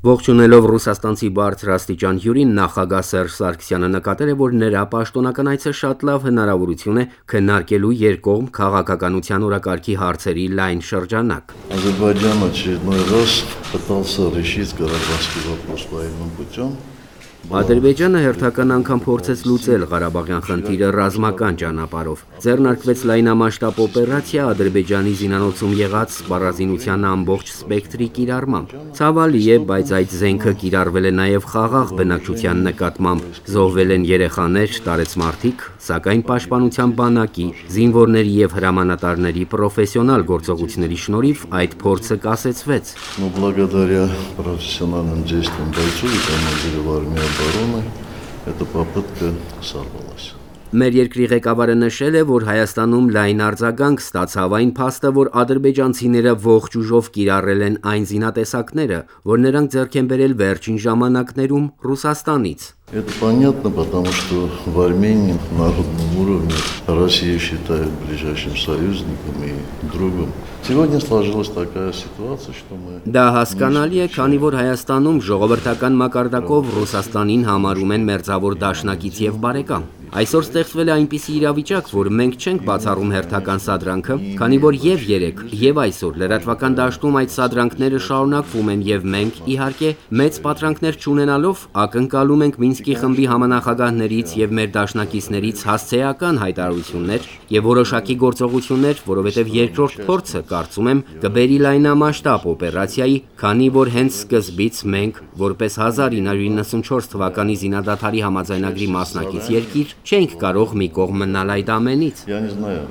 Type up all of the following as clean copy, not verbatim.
Ողջունելով ռուսաստանցի բարձրաստիճան հյուրին, նախագահ Սերժ Սարգսյանը նկատել է, որ նրա պաշտոնական այցը շատ լավ հնարավորություն է քննարկելու երկկողմ քաղաքականության օրակարգի հարցերի լայն շրջանակ։ Ադրբեջանը очередной раз пытался решить Карабахский вопрос военным путем. Ադրբեջանը հերթական անգամ փորձեց լուծել Ղարաբաղյան խնդիրը ռազմական ճանապարհով։ Ձեռնարկվեց լայնամասշտաբ օպերացիա Ադրբեջանի զինանոցում եղած սպառազինության ամբողջ սպեկտրի կիրառմամբ։ Ցավալի է, բայց այդ զենքը կիրառվել է նաև խաղաղ բնակչության նկատմամբ։ Զոհվել են երեխաներ, տարեցմարտիկ, սակայն Պաշտպանության բանակի, զինվորների եւ հրամանատարների պրոֆեսիոնալ գործողությունների շնորհիվ այդ փորձը կասեցվեց։ Благодаря профессиональным действиям бойцов и командиров армии обороны эта попытка сорвалась. Մեր երկրի ղեկավարը նշել է, որ Հայաստանում լայն արձագանք ստացավ այն փաստը, որ ադրբեջանցիները ողջ ուժով կիրառել են այն զինատեսակները, որ նրանք ձեռք են բերել վերջին ժամանակներում Ռուսաստանից։ Это понятно, потому что в Армении на народном уровне Россию считают ближайшим союзником и другом. Сегодня сложилась такая ситуация, что мы... Դա հասկանալի է, քանի որ Հայաստանում ժողովրդական մակարդակով Ռուսաստանին համարում են մերձավոր դաշնակից եւ բարեկամ։ Այսօր ստեղծվել է այնպիսի իրավիճակ, որ մենք չենք բացառում հերթական սադրանքը, քանի որ եւ երեք, եւ այսօր լրատվական դաշտում այդ սադրանքները շարունակվում են եւ մենք, իհարկե, մեծ պատրանքներ չունենալով ակնկալում ենք Մինսկի խմբի համանախագահներից եւ մեր դաշնակիցներից հասցեական հայտարարություններ եւ որոշակի գործողություններ, որովհետեւ երկրորդ փորձը, կարծում եմ, կբերի լայնամասշտաբ օպերացիայի, քանի որ հենց սկզբից մենք, որպես 1994 թվականի զինադադարի համաձայնագրի մասնակից երկիր, չենք կարող մի կողմ մնալ այդ ամենից։ Я не знаю,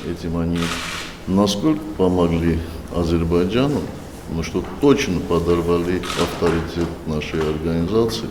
этим они насколько помогли Азербайджану, но что точно подорвали авторитет нашей организации.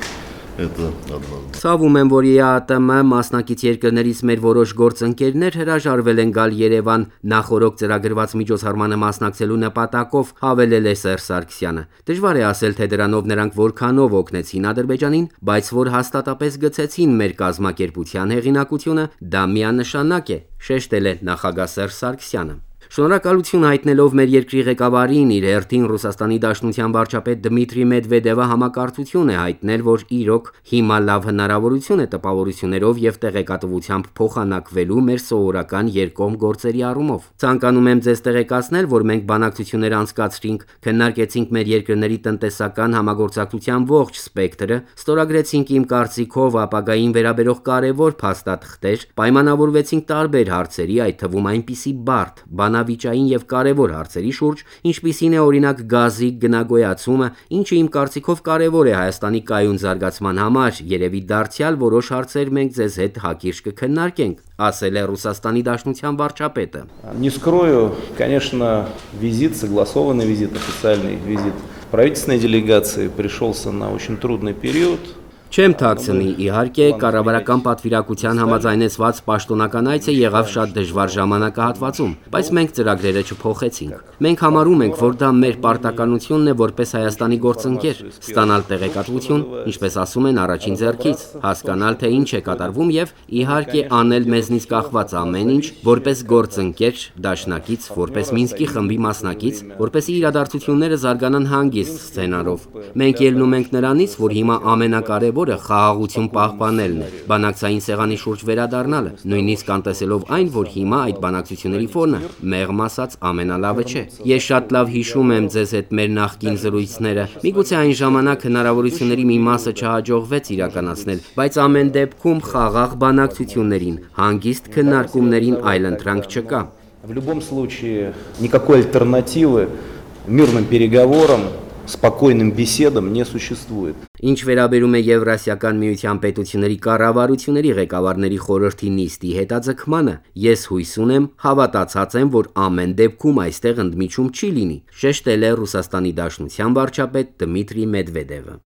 Это однозначно. Ցավում եմ, որ ԵԱՏՄ մասնակից երկրներից մեր որոշ գործընկերներ հրաժարվել են գալ Երևան նախորոք ծրագրված միջոցառմանը մասնակցելու նպատակով, հավելել է Սերժ Սարգսյանը։ Դժվար է ասել, թե դրանով նրանք որքանով օգնեցին Ադրբեջանին, բայց որ հաստատապես գցեցին մեր կազմակերպության հեղինակությունը, դա միանշանակ է, շեշտել է նախագահ Սերժ Սարգսյանը։ Շնորհակալություն հայտնելով մեր երկրի ղեկավարին, իր հերթին Ռուսաստանի Դաշնության վարչապետ Դմիտրի Մեդվեդևը համակարծություն է հայտնել, որ իրոք հիմա լավ հնարավորություն է տպավորություններով եւ տեղեկատվությամբ փոխանակվելու մեր սովորական երկկողմ գործերի առումով։ Ցանկանում եմ ձեզ տեղեկացնել, որ մենք բանակցություններ անցկացրինք, քննարկեցինք մեր երկրների տնտեսական համագործակցության ողջ սպեկտրը, ստորագրեցինք իմ կարծիքով ապագային վերաբերող կարևոր փաստաթղթեր, պայմանավորվեցինք տարբեր հարցերի, այդ թվում այնպիսի բարդ, բանավիճային եւ կարևոր հարցերի շուրջ, ինչպիսին է օրինակ գազի գնագոյացումը, ինչը իմ կարծիքով կարևոր է Հայաստանի կայուն զարգացման համար, երևի դարձյալ որոշ հարցեր մենք ձեզ հետ հակիրճ կքննարկենք, ասել է Ռուսաստանի Դաշնության վարչապետը։ Не скрою, конечно, визит, согласованный визит, официальный визит правительственной делегации пришелся на очень трудный период. Չեմ թաքցնի, իհարկե, կառավարական պատվիրակության համաձայնեցված պաշտոնական այցը եղավ շատ դժվար ժամանակահատվածում, բայց մենք ծրագրերը չփոխեցինք։ Մենք համարում ենք, որ դա մեր պարտականությունն է որպես Հայաստանի գործընկեր, ստանալ տեղեկատվություն, ինչպես ասում են, առաջին ձեռքից, հասկանալ, թե ինչ է կատարվում եւ իհարկե անել մեզնից կախված ամեն ինչ, որպես գործընկեր, դաշնակից, որպես Մինսկի խմբի մասնակից, որպեսզի իրադարձությունները զարգանան հանգիստ սցենարով։ Մենք ելնում ենք նրանից, որ հիմա ամենակարևորը խաղաղություն պահպանելն է, բանակցային սեղանի շուրջ վերադառնալը, նույնիսկ անտեսելով այն, որ հիմա այդ բանակցությունների ֆոնը, մեղմ ասած, ամենալավը չէ։ Ես շատ լավ հիշում եմ ձեզ հետ մեր նախկին զրույցները, միգուցե այն ժամանակ հնարավորությունների մի մասը չհաջողվեց իրականացնել, բայց ամեն դեպքում խաղաղ բանակցություններին, հանգիստ քննարկումներին այլընտրանք չկա։ В любом случае, никакой альтернативы мирным переговорам, спокойным беседам не существует. Ինչ վերաբերում է Եվրասիական միության պետությունների կառավարությունների ղեկավարների խորհրդի նիստի հետաձգմանը, ես հույս ունեմ, հավատացած եմ, որ ամեն դեպքում այստեղ ընդմիջում չի լինի, շեշտել է Ռուսաստանի Դաշնության վարչապետ Դմիտրի Մեդվեդևը։